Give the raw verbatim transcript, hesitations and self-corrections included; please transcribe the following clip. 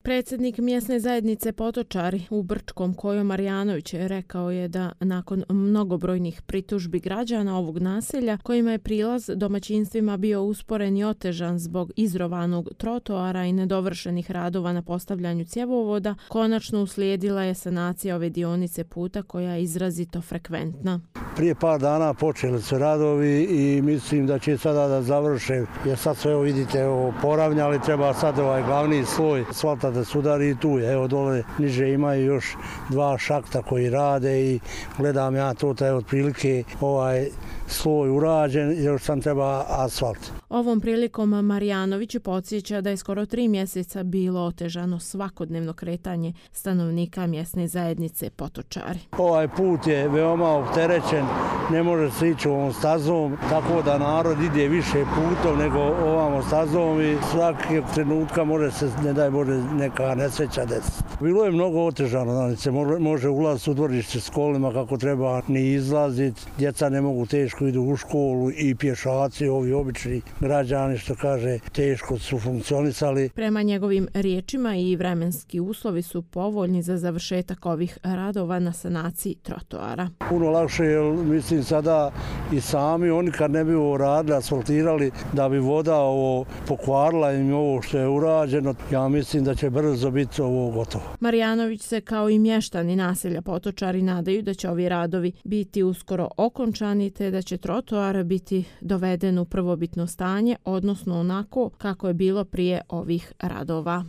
Predsjednik mjesne zajednice Potočari u Brčkom, Kojo Marjanović, rekao je da nakon mnogobrojnih pritužbi građana ovog naselja, kojima je prilaz domaćinstvima bio usporen i otežan zbog izrovanog trotoara i nedovršenih radova na postavljanju cjevovoda, konačno uslijedila je sanacija ove dionice puta koja je izrazito frekventna. Prije par dana počeli su radovi i mislim da će sada da završe, jer sad sve evo vidite poravnjali, treba sad ovaj glavni sloj asfalta da sudari i tu je. Evo dole niže imaju još dva šakta koji rade i gledam ja to da je otprilike ovaj sloj urađen, još sam treba asfalt. Ovom prilikom Marjanović podsjeća da je skoro tri mjeseca bilo otežano svakodnevno kretanje stanovnika mjesne zajednice Potočari. Ovaj put je veoma opterećen, ne može se ići ovom stazom, tako da narod ide više putom nego ovom stazom i svakog trenutka može se, ne daj Bože, neka nesreća desiti. Bilo je mnogo otežano, znači se može ulaziti u dvorište s kolima kako treba ni izlaziti, djeca ne mogu teško idu u školu i pješaci, ovi obični građani, što kaže, teško su funkcionisali. Prema njegovim riječima i vremenski uslovi su povoljni za završetak ovih radova na sanaciji trotoara. Puno lakše, jer mislim sada i sami oni kad ne bi ovo radili, asfaltirali, da bi voda ovo pokvarila im ovo što je urađeno, ja mislim da će brzo biti ovo gotovo. Marjanović se kao i mještani naselja Potočari nadaju da će ovi radovi biti uskoro okončani te da će trotoar biti doveden u prvobitno stanje, odnosno onako kako je bilo prije ovih radova.